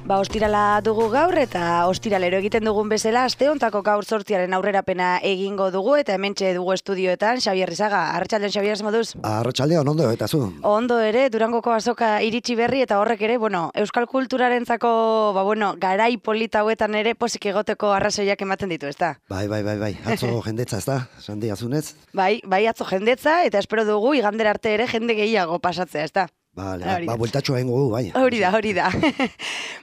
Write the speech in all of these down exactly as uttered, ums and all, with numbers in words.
Ba, ostirala dugu gaur eta ostiralero egiten dugun bezala aste hontako gaur zortziaren aurrerapena egingo dugu eta hementxe dugu estudioetan Xabier Rizaga. Arratsaldeon, Xabier, moduz? Arratsaldeon, ondo eta zu? Ondo ere, Durangoko azoka iritsi berri eta horrek ere, bueno, euskal kulturarentzako, ba bueno, garai polita hauetan ere posik egoteko arrazoiak ematen ditu, ezta? Bai, bai, bai, bai. Atzo jendetza, ezta? Sandi azunez? Bai, bai, atzo jendetza eta espero dugu igandera arte ere jende gehiago pasatzea, ezta? Vale, ba, bueltatxo egingo gu, bai. Hori da, hori da.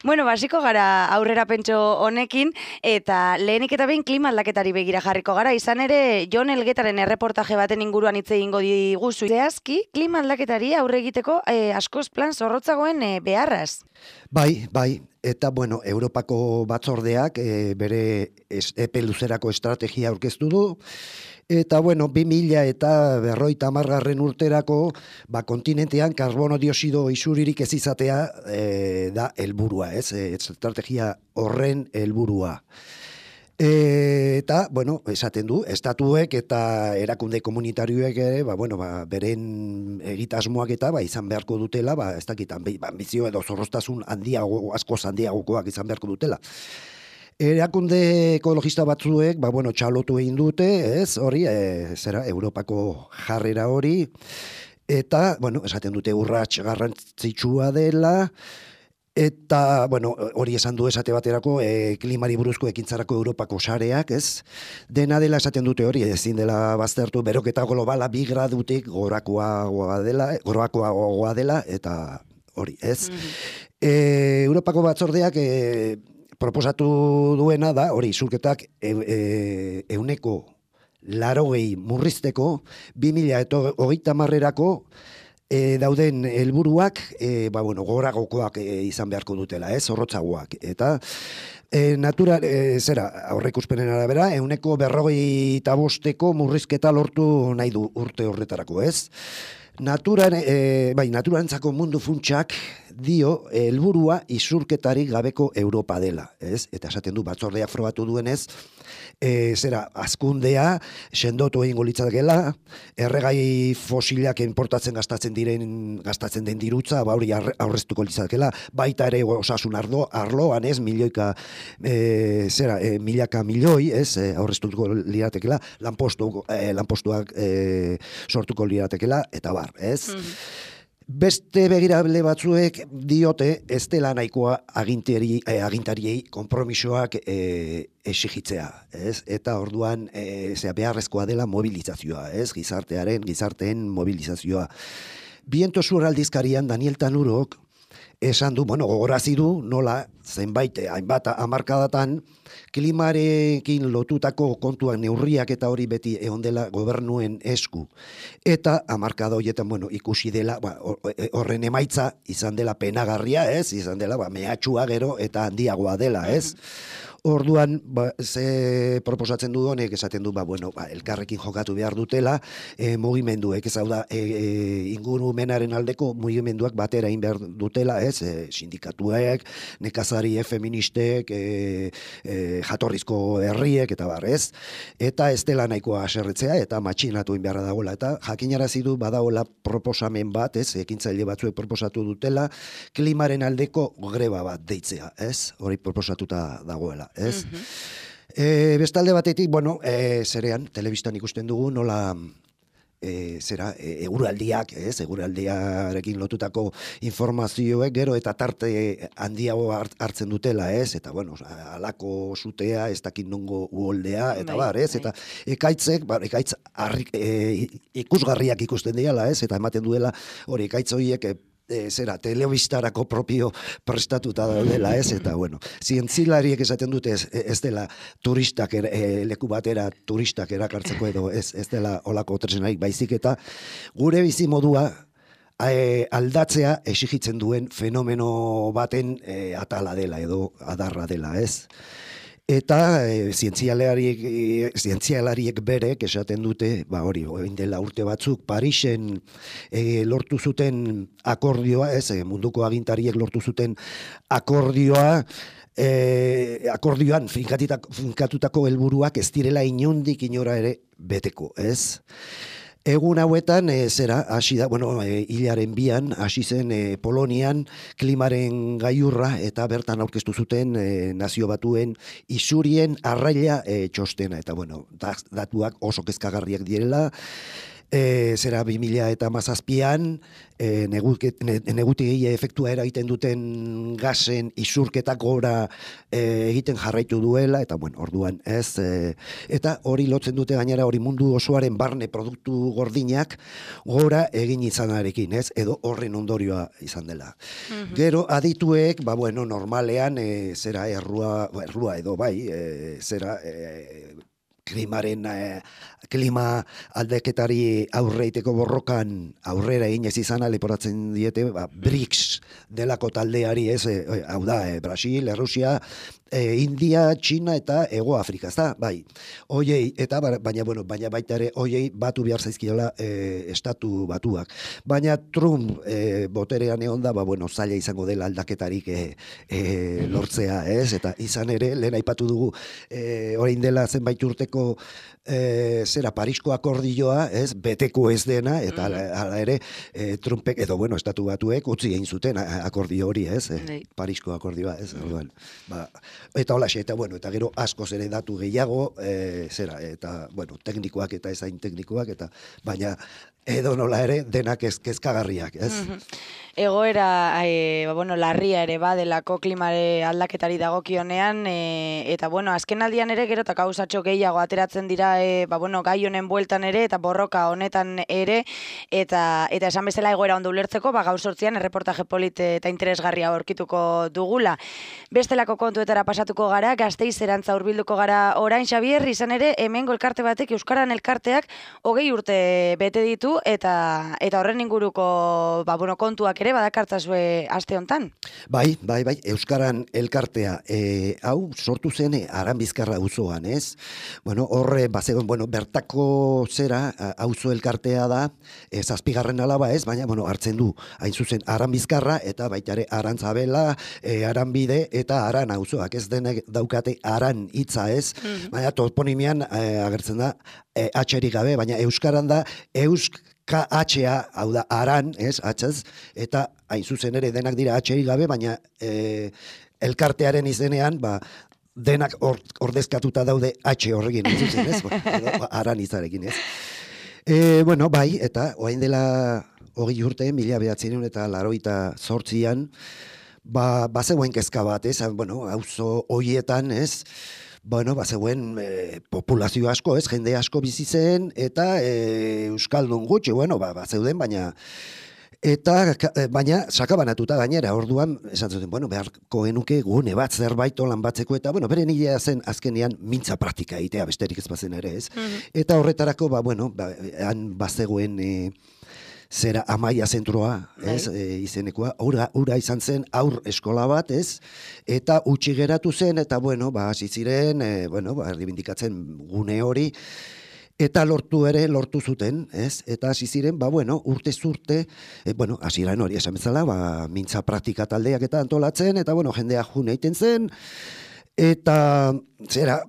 Bueno, basiko gara aurrera pentso honekin, eta lehenik eta behin klima aldaketari begira jarriko gara, izan ere, Jon Elgetaren erreportaje baten inguruan hitz egingo diguzu. Zehazki, klima aldaketari aurre egiteko eh, askoz plan zorrotzagoen eh, beharraz. Bai, bai. Eta, bueno, Europako batzordeak e, bere es, epe luzerako estrategia aurkeztu du. Eta, bueno, bi mila eta berroita hamargarren urterako, ba, kontinentean karbono dioxido isuririk ez izatea e, da helburua, ez? E, estrategia horren helburua. E, eta, bueno, esaten du, estatuek eta erakunde komunitarioek ere, ba, bueno, ba, beren egitasmoak eta ba, izan beharko dutela, ba, ez dakit, ambizio edo zorroztasun handiago, askoz handiagokoak izan beharko dutela. Erakunde ekologista batzuek, ba, bueno, txalotu egin dute, ez, hori, e, zera, Europako jarrera hori, eta, bueno, esaten dute urrats garrantzitsua dela, eta, bueno, hori esan du esate baterako, e, klimari buruzko ekintzarako Europako sareak, ez? Dena dela esaten dute hori, ezin dela baztertu, beroketa globala bi gradutik gorakoagoa dela, gorakoagoa dela, eta hori, ez? Mm-hmm. e, Europako batzordeak e, proposatu duena da, hori, isurketak e, e, euneko larogei murrizteko, bi mila eta hogeita hamarrerako E, dauden helburuak e, ba, bueno, goragokoak e, izan beharko dutela, ez, zorrotzagoak. Eta e, natura, e, zera, aurreikuspenen arabera, euneko berrogei eta bosteko murrizketa lortu nahi du urte horretarako, ez? Naturan, e, bai, naturantzako mundu funtsak dio helburua isurketarik gabeko Europa dela, ez? Eta esaten du batzordeak frogatu duenez, e, zera, azkundea sendotu egingo litzatekeela, erregai fosilak importatzen gastatzen diren gastatzen den dirutza, ba hori aurreztuko litzatekeela, baita ere osasun ardo arloan, ez, milioika e, zera, e, milaka milioi, ez, e, aurreztuko liratekeela, lanpostu e, lanpostuak e, sortuko liratekeela eta bar, ez? Mm-hmm. Beste begirable batzuek diote ez dela nahikoa agintari, eh, agintariei konpromisoak eh, exigitzea, ez? Eta orduan eh, zera, beharrezkoa dela mobilizazioa, ez? Gizartearen, gizarteen mobilizazioa. Viento Sur aldizkarian Daniel Tanurok esan du, bueno, gogorazi du nola zenbait hainbat hamarkadatan klimarekin lotutako kontuak neurriak eta hori beti egon dela gobernuen esku. Eta hamarkada horietan, bueno, ikusi dela, ba, horren emaitza izan dela penagarria, ez? Izan dela, ba, mehatxua gero eta handiagoa dela, ez? Orduan, ba, ze proposatzen du honek, esaten du, ba, bueno, ba, elkarrekin jokatu behar dutela, e, mugimenduek, ez hau da, e, e, ingurumenaren aldeko mugimenduak batera egin behar dutela, ez? E, sindikatuek, nekazari feministek, e, e, jatorrizko herriek, eta bar, ez? Eta ez dela nahikoa aserretzea, eta matxinatu egin beharra dagoela, eta jakinarazi du badagoela proposamen bat, ez? Ekintzaile batzuek proposatu dutela, klimaren aldeko greba bat deitzea, ez? Hori proposatuta dagoela. Ez? Mm-hmm. E, bestalde batetik, bueno, e, zerean, telebistan ikusten dugu, nola e, zera, e, eguraldiak, ez, eguraldiarekin lotutako informazioek gero eta tarte handiago hartzen dutela, ez, eta, bueno, alako sutea, ez dakit nongo uholdea, eta bai, bar, ez, bai. Eta ekaitzek, bar, ekaitz arrik, e, ikusgarriak ikusten diala, ez, eta ematen duela, hori, ekaitz horiek, E, zera, telebistarako propio prestatuta dela, ez, eta, bueno, zientzilariek esaten dute ez, ez dela turistak, er, e, leku batera turistak erakartzeko edo, ez, ez dela olako tresnarik baizik, eta gure bizimodua e, aldatzea exigitzen duen fenomeno baten e, atala dela edo adarra dela, ez? Eta e, zientzialariek, e, zientzialariek berek esaten dute, ba hori, orain dela urte batzuk, Parisen e, lortu zuten akordioa, ez, e, munduko agintariek lortu zuten akordioa, e, akordioan finkatutako helburuak ez direla inondik inora ere beteko, ez? Egun hauetan, e, zera, hasi da, bueno, e, hilaren bian, hasi zen e, Polonian klimaren gaiurra eta bertan aurkeztu zuten e, nazio batuen isurien arraila e, txostena. Eta, bueno, datuak oso kezkagarriak direla, E, zera bi mila eta hamazazpian e, negutigi efektua eragiten duten gasen isurketak gora e, egiten jarraitu duela, eta bueno, orduan ez, e, eta hori lotzen dute gainera hori mundu osoaren barne produktu gordinak gora egin izanarekin, ez, edo horren ondorioa izan dela. Mm-hmm. Gero adituek, ba bueno, normalean e, zera errua, errua edo bai, e, zera e, klimaren eh, klima aldaketari aurreiteko borrokan aurrera egin ez izana leporatzen diete, ba, BRICS delako taldeari, ez, eh, hau da, eh, Brasil, Errusia, eh, India, China eta Hego Afrika, ez da, bai. Oiei, eta baina, bueno, baina baita ere, oiei batu behar zaizkiola eh, estatu batuak. Baina Trump eh, boterean egon da, ba, bueno, zaila izango dela aldaketarik eh, eh, lortzea, ez, eta izan ere, lehen aipatu dugu, eh, orain dela zenbait urteko E, zera Parisko akordioa, ez, beteko ez dena, eta hala, hala ere e, Trumpek, edo bueno, estatu batuek utzi egin zuten akordio hori, ez, e, Parisko akordioa, ez, orduan, ba, eta holaxe, eta bueno, eta gero askoz ere datu gehiago, e, zera, eta bueno, teknikoak eta ezain teknikoak, eta baina edo nola ere denak ez, kezkagarriak, ez? Egoera, e, ba, bueno, larria ere badelako klimare aldaketari dagokionean, e, eta bueno, azken aldian ere gero eta gauzatxo gehiago ateratzen dira, e, ba, bueno, gai honen bueltan ere, eta borroka honetan ere, eta eta esan bezala egoera ondo ulertzeko, ba, gaur sortzian erreportaje polit eta interesgarria aurkituko dugula. Bestelako kontuetara pasatuko gara, Gasteiz erantza hurbilduko gara orain, Xabier, izan ere, hemengo elkarte batek, Euskaran elkarteak, hogei urte bete ditu, eta eta horren inguruko, ba, bueno, kontuak ere badakartzazue aste hontan. Bai, bai, bai, Euskaran elkartea, e, hau sortu zen Aranbizkarra auzoan, ez? Bueno, horre, bazegoen, bueno, bertako zera, auzo elkartea da, e, zazpigarren alaba ez, baina, bueno, hartzen du, hain zuzen Aranbizkarra, eta baita ere Arantzabela, e, Aranbide, eta Aran auzoak, ez denek daukate Aran hitza ez, mm-hmm. Baina toponimian e, agertzen da, e, atxerik gabe, baina Euskaran da, Eusk K H-a, hau da, Aran, ez, atxaz, eta hain zuzen ere denak dira atxerik gabe, baina e, elkartearen izenean, ba, denak or, ordezkatuta daude H horrekin, ez zuzen, ez, ba, Aran izarekin, ez. E, bueno, bai, eta orain dela hogei urte, mila behatzen eta laroita zortzian, ba, bazegoen kezka bat, ez, bueno, auzo hoietan, ez, bueno, bazegoen e, populazio asko, ez, jende asko bizi zen, eta e, euskaldun gutxi, bueno, ba, bazeuden, baina eta baina sakabanatuta gainera, orduan esan zuten, bueno, beharko genuke gune bat zerbait olan batzeko, eta bueno, beren idea zen azkenean mintza praktika egitea, besterik ez bazen ere, ez. Mm-hmm. Eta horretarako, ba, bueno, ba, han bazegoen e, zera Amaia zentroa, ez, e, izenekoa, ura, ura izan zen aur eskola bat, ez, eta utzi geratu zen, eta bueno, ba, hasi ziren, e, bueno, ba, erdibindikatzen gune hori, eta lortu ere, lortu zuten, ez, eta hasi ziren, ba, bueno, urte zurte, e, bueno, hasieran hori esan bezala, ba, mintza praktika taldeak eta antolatzen, eta bueno, jendea june egiten zen, eta zera,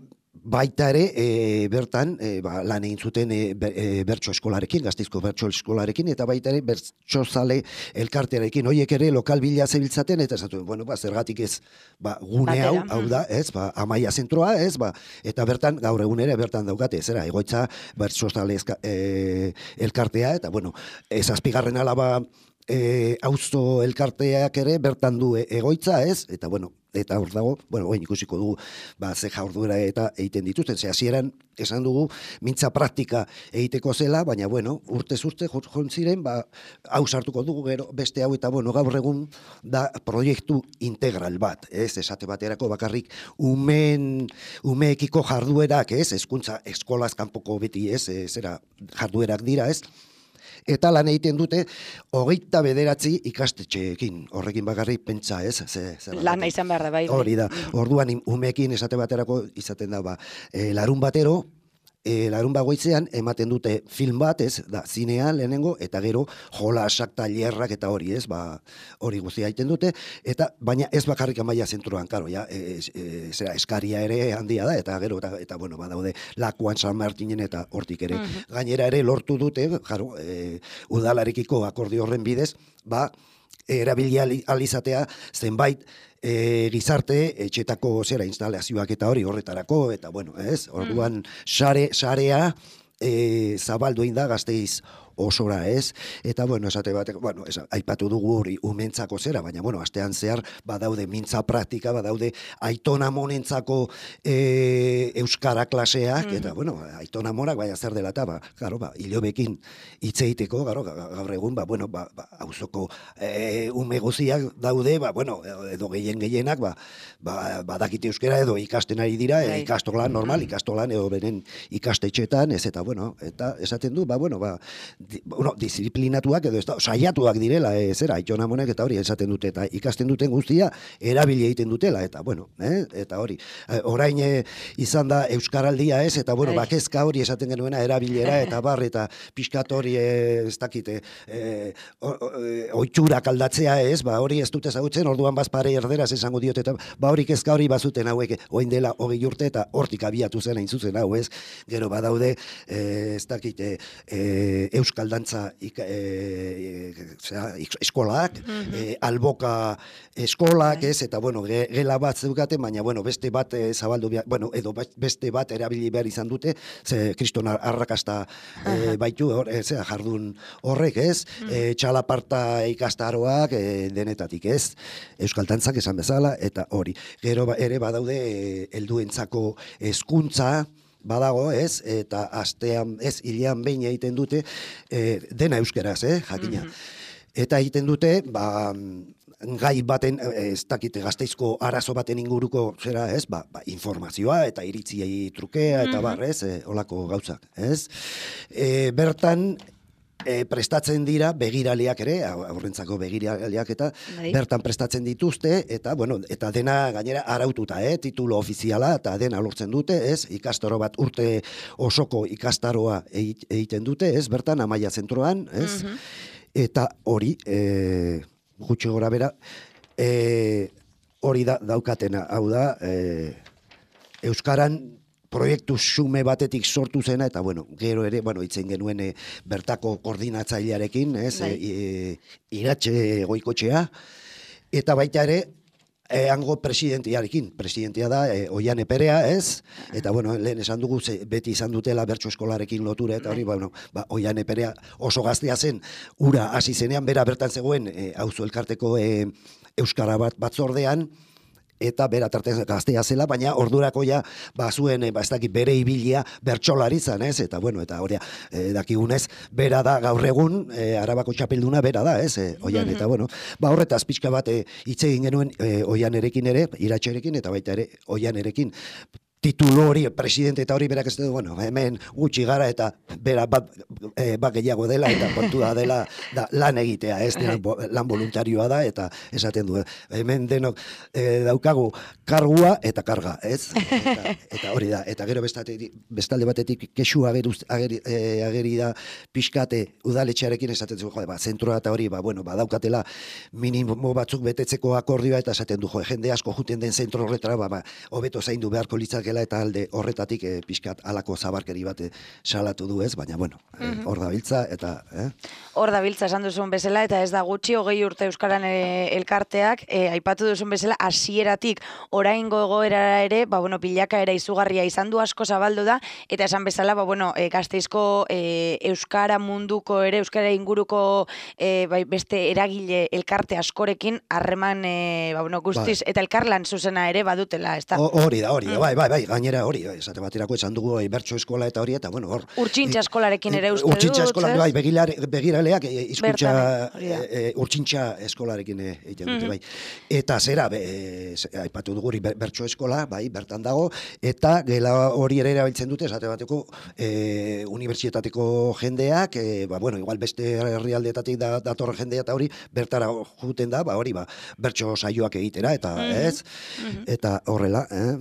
baita ere, e, bertan, e, ba, lan egin zuten e, e, bertso eskolarekin, Gasteizko bertso eskolarekin, eta baita ere, bertso zale elkartearekin, horiek ere lokal bila zebiltzaten, eta esatuen, bueno, ba, zergatik ez, ba, gune hau, hau da, ez, ba, Amaia zentroa, ez, ba, eta bertan, gaur egun ere, bertan daukate, zera, egoitza, bertso zale e, elkartea, eta, bueno, ez azpigarren alaba, e, auzo elkarteak ere, bertan du egoitza, ez, eta, bueno, eta hor dago, bueno, oin ikusiko dugu, ba, ze jaurduera eta egiten dituzten, ze hasieran esan dugu, mintza praktika egiteko zela, baina, bueno, urtez urte jontziren, ba, hau sartuko dugu gero, beste hau, eta, bueno, gaur egun da proiektu integral bat, ez, esate baterako bakarrik, umen, umeekiko jarduerak, ez, hezkuntza eskolaz kanpoko beti, ez, ez, zera, jarduerak dira, ez, eta lan egiten dute hogeita bederatzi ikastetxeekin. Horrekin bakarrik pentsa, ez? Ze, ze lan izan behar da, bai. Hori da. Orduan umeekin esate baterako izaten da, ba, e, larun batero, e, larun bagoitzean ematen dute film bat, ez, da, zinean lehenengo, eta gero jolasak, tailerrak eta hori, ez, ba, hori guztia egiten dute, eta baina ez bakarrik Amaia zentroan, karo, ja, e, e, zera, eskaria ere handia da, eta gero, eta, eta bueno, badaude Lakuan, San Martinen, eta hortik ere. Uh-huh. Gainera ere lortu dute, jaro, e, udalarekiko akordio horren bidez, ba, erabili alizatea zenbait e, gizarte etxetako zera instalazioak eta hori horretarako, eta bueno, ez, orduan sare, sarea e, zabaldu egin da Gasteiz osora, ez? Eta, bueno, esate batek, bueno, ez, aipatu dugu hori umentzako zera, baina, bueno, astean zehar badaude mintza praktika, badaude aitona monentzako e, euskara klaseak, mm-hmm. eta, bueno, aitona monak, baina zer dela eta, ba, garo, ba, hilobekin hitzeiteko, garo, gaur egun, ba, bueno, ba, ba, auzoko e, ume guziak daude, ba, bueno, edo gehien gehienak, ba, ba, badakite euskera edo ikasten ari dira, e, ikastolan normal, ikastolan edo beren ikastetxetan, ez, eta, bueno, eta esaten du, ba, bueno, ba, Di, bueno, disiplinatuak edo ez da, saiatuak direla, e, zera, Aitona Monek eta hori esaten dute, eta ikasten duten guztia erabili egiten dutela, eta bueno, eh, eta hori. E, orain e, izan da Euskaraldia, ez, eta bueno, bakezka hori esaten genuena erabilera, eta bar, eta pixkat hori e, ez dakite, e, oitxurak aldatzea, ez, ba hori ez dute ezagutzen, orduan bazpare erderaz esango diot, eta ba hori kezka hori bazuten hauek, oin dela hogei urte, eta hortik abiatu zen hain zuzen hau, ez, gero badaude, e, ez dakite, e, Euskal Euskaldantza e, e, eskolak, mm-hmm. e, alboka eskolak, ez, eta bueno, ge, gela bat zeugaten, baina bueno, beste bat e, zabaldu behar, bueno, edo beste bat erabili behar izan dute, ze kriston arrakasta e, baitu, hor, e, zera, jardun horrek, ez, mm. e, txalaparta ikastaroak e, denetatik, ez, Euskaldantzak esan bezala, eta hori. Gero ere badaude e, helduentzako hezkuntza, badago, ez, eta astean, ez, hilean behin egiten dute, e, dena euskeraz, eh, jakina. Mm-hmm. Eta egiten dute, ba, gai baten, ez dakite Gasteizko arazo baten inguruko, zera, ez, ba, ba informazioa, eta iritziei trukea, eta mm-hmm. bar, ez, e, olako gauzak, ez. E, bertan, E, prestatzen dira begiraleak ere, aurrentzako begiraleak eta Dai. Bertan prestatzen dituzte, eta bueno, eta dena gainera araututa, eh, titulo ofiziala, eta dena lortzen dute, ez, ikastaro bat urte osoko ikastaroa egiten dute, ez, bertan Amaia zentroan, ez, mm-hmm. eta hori, e, gutxi gora bera, e, hori da daukatena, hau da, e, Euskaran proiektu xume batetik sortu zena, eta bueno, gero ere, bueno, itzen genuen e, bertako koordinatzailearekin, ez, e, e, iratxe goikotxea, eta baita ere, e, hango presidentiarekin, presidentia da, e, Oiane Perea, ez, eta bueno, lehen esan dugu, ze, beti izan dutela bertso eskolarekin lotura, eta hori, bueno, ba, Oiane Perea oso gaztea zen, ura hasi zenean, bera bertan zegoen, e, auzo elkarteko e, Euskara bat batzordean, eta bera tartez gaztea zela, baina ordurako ja bazuen, ba, ez dakit, bere ibilia bertsolaritzan, ez, eta bueno, eta hori e, dakigunez, bera da gaur egun, e, Arabako txapelduna bera da, ez, e, Oian, eta bueno, ba horretaz pixka bat e, hitz egin genuen e, Oianerekin ere, Iratxerekin, eta baita ere Oianerekin, titulo hori, presidente eta hori berak ez du, bueno, hemen gutxi gara eta bera bat, e, bat gehiago dela eta kontua dela da, lan egitea, ez dena, lan voluntarioa da eta esaten du, hemen denok e, daukagu kargua eta karga, ez? Eta, eta hori da, eta gero bestatetik, bestalde batetik kexu ageruz, ageri, e, ageri da pixkate udaletxearekin esaten du, jode, ba, zentroa eta hori, ba, bueno, badaukatela minimo batzuk betetzeko akordioa eta esaten du, jode, jende asko juten den zentro horretara, ba, ba, hobeto zaindu beharko litzake eta alde horretatik e, pixkat alako zabarkeri bat e, salatu du, ez, baina bueno, mm-hmm. hor da biltza eta eh? Hor da biltza esan duzun bezala eta ez da gutxi hogei urte Euskaran e, elkarteak e, aipatu duzun bezala hasieratik oraingo egoerara ere, ba bueno, bilakaera izugarria izan du, asko zabaldu da eta esan bezala, ba bueno, e, Gasteizko e, Euskara munduko ere Euskara inguruko e, bai, beste eragile elkarte askorekin harreman e, ba bueno, guztiz bai. Eta elkarlan zuzena ere badutela, ezta? Hori da, hori da, bai, bai, bai. Gainera hori, esate baterako esan dugu bertso eskola eta hori, eta bueno, hor... Urtsintxa eskolarekin ere uste dut, Urtsintxa eskola, bai, begirale irakasleak e, hizkuntza Bertan, hori da. e, e, urtsintxa eskolarekin e, egiten dute, bai. Eta zera, be, e, aipatu dugu hori ber- bertso eskola, bai, bertan dago, eta gela hori ere erabiltzen dute, esate bateko, e, unibertsitateko jendeak, e, ba, bueno, igual beste herrialdeetatik da, datorren jendea eta hori, bertara juten da, ba, hori, ba, bertso saioak egitera, eta ez, eta horrela, eh?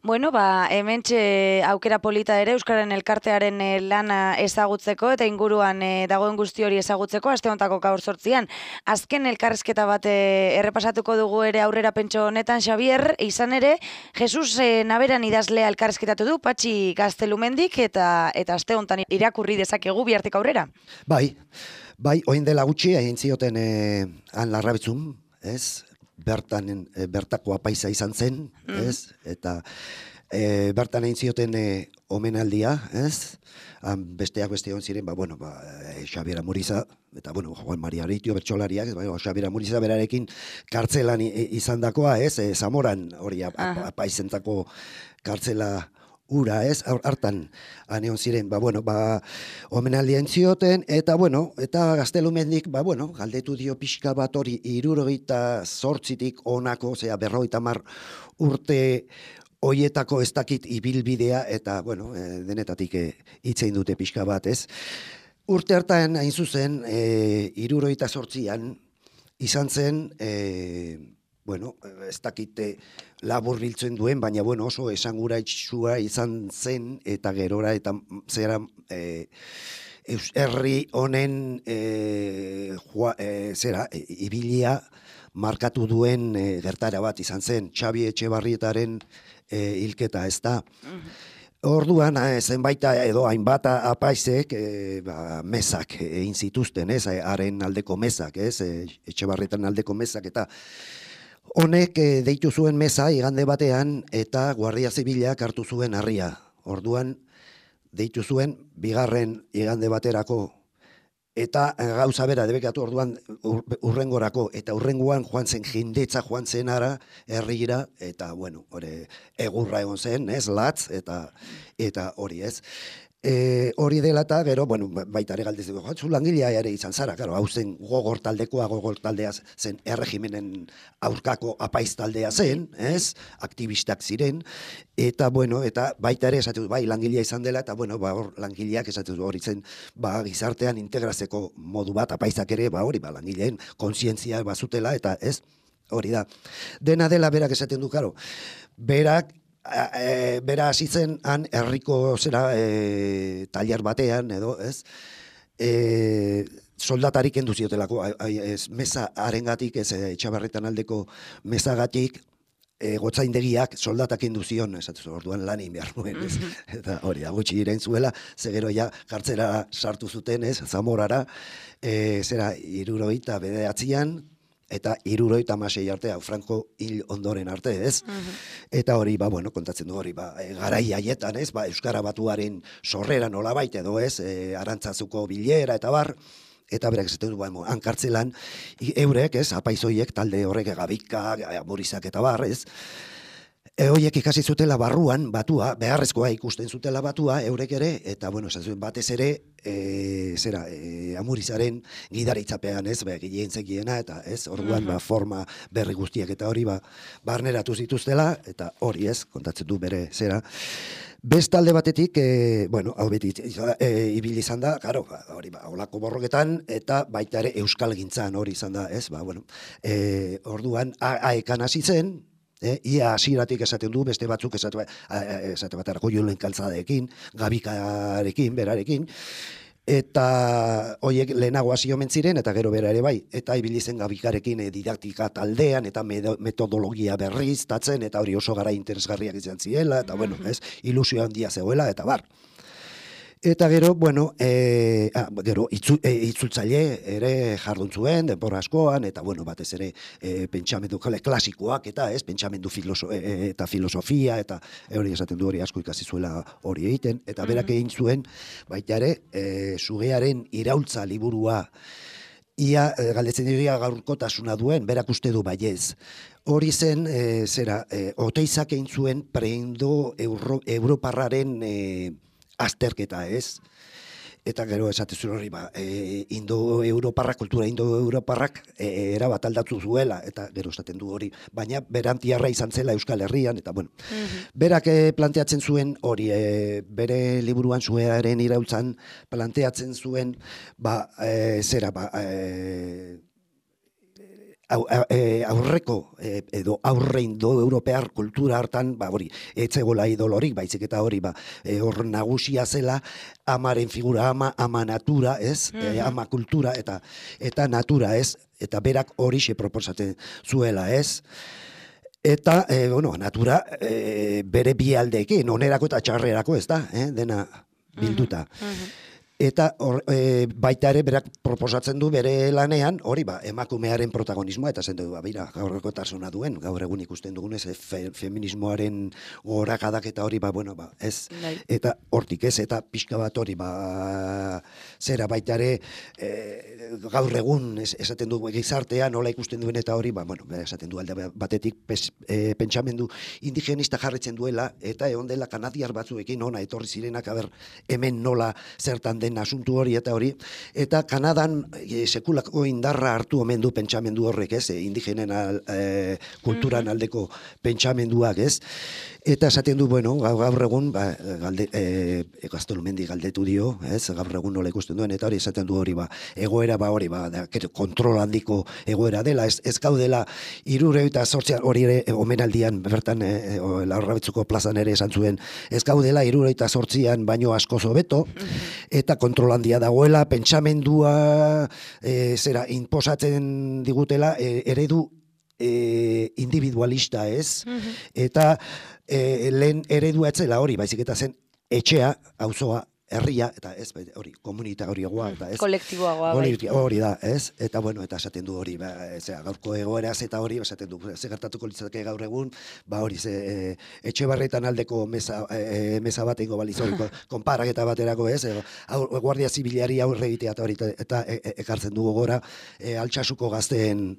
Bueno, ba, hementxe aukera polita ere Euskararen Elkartearen eh, lana ezagutzeko eta inguruan eh, dagoen guzti hori ezagutzeko aste hontako gaur sortzian. Azken elkarrezketa bat eh, errepasatuko dugu ere aurrera pentso honetan, Xavier, izan ere, Jesus eh, Naberan idazlea elkarrezketatu du, Patxi Gaztelumendik, eta eta aste hontan irakurri dezakegu bihartik aurrera. Bai, bai, oin dela gutxi, egin zioten eh, han larrabetzun, ez? Bertan, e, bertako apaisa izan zen, ez? Eta e, bertan egin zioten e, omenaldia, ez? Han besteak beste egon ziren, ba, bueno, ba, e, Xabier Amuriza, eta, bueno, Juan Maria Aritio, bertsolariak, ba, Xabier Amuriza berarekin kartzelan izan dakoa, ez? E, Zamoran, hori, ap, ap, apaizentako kartzela ura, ez, hartan aneon ziren, ba, bueno, ba, omenaldia entzioten, eta, bueno, eta Gaztelumendik, ba, bueno, galdetu dio pixka bat hori, irurogeita zortzitik onako, zera, berrogeita mar urte hoietako ez dakit ibilbidea, eta, bueno, e, denetatik e, hitzein dute pixka bat, ez. Urte hartan, hain zuzen, e, irurogeita zortzian, izan zen, e, bueno, ez dakite labur biltzen duen, baina bueno, oso esanguratsua izan zen, eta gerora, eta zera, e, herri honen e, jua, e, zera, e, ibilia markatu duen e, gertara bat izan zen, Xabi Etxebarrietaren e, hilketa, ez da. Orduan, eh, zenbaita edo hainbat apaizek eh, ba, mesak egin zituzten, ez, haren aldeko mesak, ez, e, Etxebarrietan aldeko mesak, eta honek e, deitu zuen meza igande batean eta Guardia Zibilak hartu zuen harria. Orduan deitu zuen bigarren igande baterako eta gauza bera debekatu orduan urrengorako eta urrengoan joan zen jendetza joan zen ara herrira eta bueno, hori egurra egon zen, ez, latz eta eta hori, ez. E, hori dela eta gero, bueno, baita ere galdez dugu, zu langilea ere izan zara, claro, hau zen gogor taldekoa, gogor taldea zen erregimenen aurkako apaiz taldea zen, ez, aktivistak ziren, eta bueno, eta baita ere esatu bai langilea izan dela, eta bueno, ba, hor langileak esatu hori zen, ba, gizartean integrazeko modu bat, apaizak ere, ba, hori, ba, langileen kontzientzia bazutela, eta ez, hori da. Dena dela berak esaten du, karo, berak, E, bera hasi zen han herriko zera e, tailer batean edo, ez? E, soldatarik kendu ziotelako, ez, meza arengatik, ez, Etxabarretan aldeko mezagatik, e, gotzaindegiak soldatak kendu zion, esatu orduan lan egin behar nuen, ez? Eta hori, gutxi iren zuela, zegero ja kartzera sartu zuten, ez, Zamorara, e, zera, hirurogeita bederatzian, eta hirurogeita hamasei arte, hau Franco hil ondoren arte, ez? Eta hori, ba, bueno, kontatzen du hori, ba, e, garai haietan, ez? Ba, Euskara Batuaren sorrera nolabait edo, ez? E, Arantzazuko bilera eta bar, eta berak esaten du, ba, hankartzelan, eurek, ez? Apaizoiek, talde horrek Gabika, Amurizak eta bar, ez? E, hoiek ikasi zutela barruan, batua, beharrezkoa ikusten zutela batua, eurek ere, eta, bueno, esan batez ere, e, zera, e, Amurizaren gidaritzapean, ez, be, gilien zekiena, eta, ez, orduan, ba, forma berri guztiak, eta hori, ba, barneratu zituztela, eta hori, ez, kontatzen du bere, zera. Bestalde batetik, e, bueno, hau beti, e, ibili izan da, karo, hori, ba, olako borroketan, eta baita ere Euskal Gintzan hori izan da, ez, ba, bueno, e, orduan, aekan hasi zen, E, ia hasieratik esaten du, beste batzuk esate, esate baterako Julen Kaltzadeekin, Gabikarekin, berarekin, eta hoiek lehenago hasi omen ziren, eta gero bera ere bai, eta ibili zen Gabikarekin e, didaktika taldean, eta metodologia berriztatzen, eta hori oso gara interesgarriak izan ziela, eta bueno, ez, ilusio handia zegoela, eta bar. Eta gero, bueno, e, ah, gero itzu, e, itzultzaile ere jardun zuen, denbora askoan, eta bueno, batez ere e, pentsamendu klasikoak, eta ez, pentsamendu filoso, e, eta filosofia, eta e, hori esaten du hori asko ikasi zuela hori egiten, eta berak egin zuen, baita ere, e, Sugearen iraultza liburua, ia e, galdetzen dira gaurkotasuna duen, berak uste du baiez. Hori zen, e, zera, e, Oteizak egin zuen preindo Euro, Europarraren e, azterketa, ez? eta gero esatezu hori, ba, e, indo-europarrak, kultura indo-europarrak e, erabat aldatu zuela, eta gero esaten du hori, baina berantiarra izan zela Euskal Herrian, eta bueno, mm-hmm. berak e, planteatzen zuen hori, e, bere liburuan Suearen iraultzan planteatzen zuen, ba, e, zera, ba, e, aurreko edo aurrein do europear kultura hartan, ba hori, etzegola idolorik, baizik eta hori, ba, hor nagusia zela amaren figura, ama, ama natura, ez? Mm-hmm. E, ama kultura eta eta natura, ez? Eta berak horixe proposatzen zuela, ez? Eta, e, bueno, natura e, bere bi aldeekin, onerako eta txarrerako, ez da, eh? Dena bilduta. Mm-hmm. Eta or, e, baita ere berak proposatzen du bere lanean, hori ba, emakumearen protagonismoa, eta zen du, ba, bira, gaurreko tarsona duen, gaur egun ikusten dugunez, e, fe, feminismoaren gorakadak eta hori, ba, bueno, ba, ez, Dai. Eta hortik ez, eta pixka bat hori, ba, zera baita ere, e, gaur egun es, esaten du gizartea, nola ikusten duen eta hori, ba, bueno, esaten du alde batetik pes, e, pentsamendu indigenista jarretzen duela, eta egon dela kanadiar batzuekin ona etorri zirenak, aber, hemen nola zertan den asuntu hori eta hori, eta Kanadan e, sekulako indarra hartu omen du pentsamendu horrek, ez, e, indigenen al, e, kulturan aldeko pentsamenduak, ez, eta esaten du, bueno, gaur egun, ba, galde, e, Gaztolumendi galdetu dio, ez, gaur egun nola ikusten duen, eta hori esaten du hori, ba, egoera, ba, hori, ba, da, kontrol handiko egoera dela, ez, ez gaudela, irure eta sortzean, hori ere, omenaldian, bertan, e, e, Larrabetzuko plazan ere esan zuen, ez gaudela, irure eta sortzean baino asko hobeto, eta kontrol handia dagoela, pentsamendua e, zera, inposatzen digutela e, eredu e, individualista, ez? Mm-hmm. Eta e, lehen eredua etzela hori, baizik eta zen etxea, auzoa, herria, eta ez, hori, komunitagoa, eta ez. Kolektiboagoa, bai. Hori da, ez? Eta, bueno, eta esaten du hori, ba, zera, gaurko egoeraz eta hori, esaten du, ze gertatuko litzateke gaur egun, ba hori, ze, e, etxe barretan aldeko meza, e, meza bat ingo baliz hori, konparaketa baterako, ez? E, aur, guardia zibilari aurre egitea eta hori, eta e, e, ekartzen dugu gora, e, altxasuko gazteen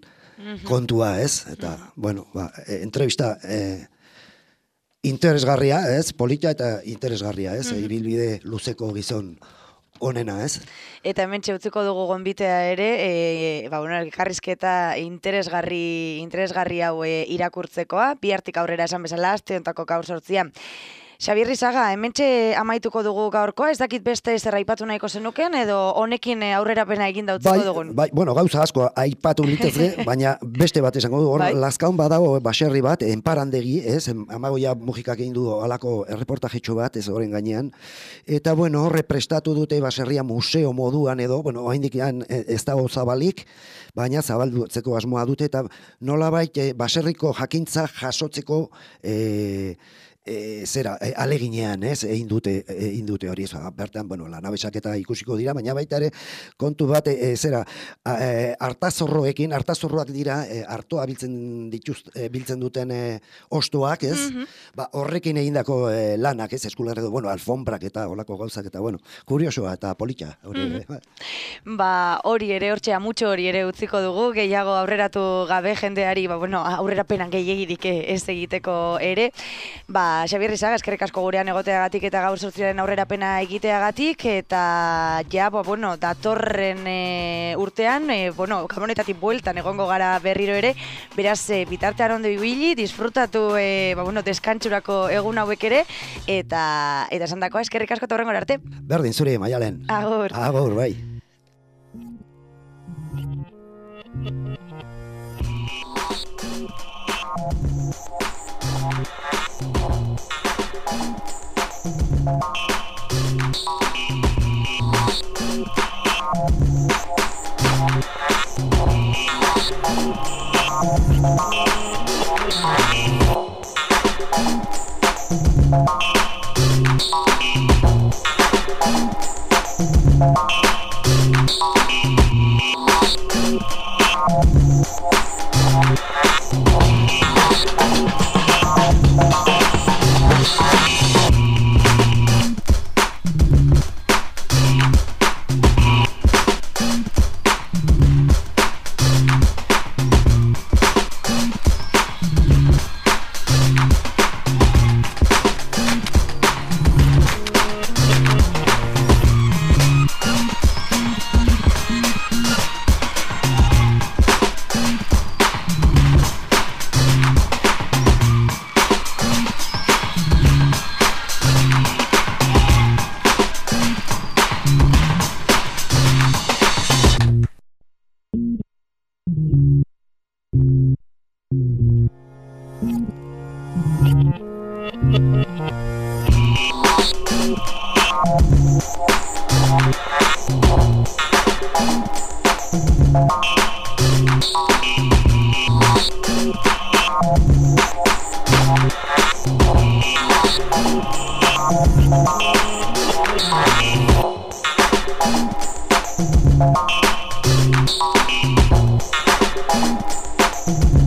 kontua, ez? Eta, bueno, ba, e, entrevista, e, interesgarria, ez? Polita eta interesgarria, ez? Mm-hmm. Ibilbide luzeko gizon onena, ez? Eta hemen txeutziko dugu gonbitea ere, e, ba, bueno, elkarrizketa interesgarri, interesgarri hau e, irakurtzekoa, bihartik aurrera esan bezala, aste hontako gaur sortzia. Xabier Rizaga, hementxe amaituko dugu gaurkoa, ez dakit beste zer aipatu nahiko zenuken, edo honekin aurrerapena egin dautziko bai, dugun? Bai, bueno, gauza asko aipatu litezke, baina beste bat esango du, hor, bai? Lazkaun badago baserri bat, enparandegi, ez, Amagoia Mujikak egin du alako erreportajetxo bat, ez horren gainean, eta, bueno, horre prestatu dute baserria museo moduan edo, bueno, haindik ez dago zabalik, baina zabaldutzeko asmoa dute, eta nolabait baserriko jakintza jasotzeko, e, E, zera, e, aleginean, ez, egin dute, egin dute hori, ez, bertan, bueno, lanabesak eta ikusiko dira, baina baita ere, kontu bat, e, zera, e, hartazorroekin, hartazorroak dira, e, hartoa biltzen dituz, e, biltzen duten e, ostoak, ez, mm-hmm. ba, horrekin egindako e, lanak, ez, eskularredo, bueno, alfombrak eta olako gauzak, eta, bueno, kuriosoa eta polita, hori ere. Mm-hmm. Ba, hori ere, hortxea, mutxo hori ere utziko dugu, gehiago aurreratu gabe jendeari, ba, bueno, aurrerapenan gehiagirik ez egiteko ere, ba, Xabier Rizaga, eskerrik asko gurean egoteagatik eta gaur sortziaren aurrerapena egiteagatik, eta ja, ba, bueno, datorren e, urtean, e, bueno, gamonetatik bueltan egongo gara berriro ere, beraz, e, bitartean ondo ibili, disfrutatu, e, ba, bueno, deskantxurako egun hauek ere, eta eta esan dakoa, eskerrik asko eta horrengora arte. Berdin, zuri, Maialen. Agur. Agur, bai. We'll be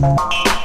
right back.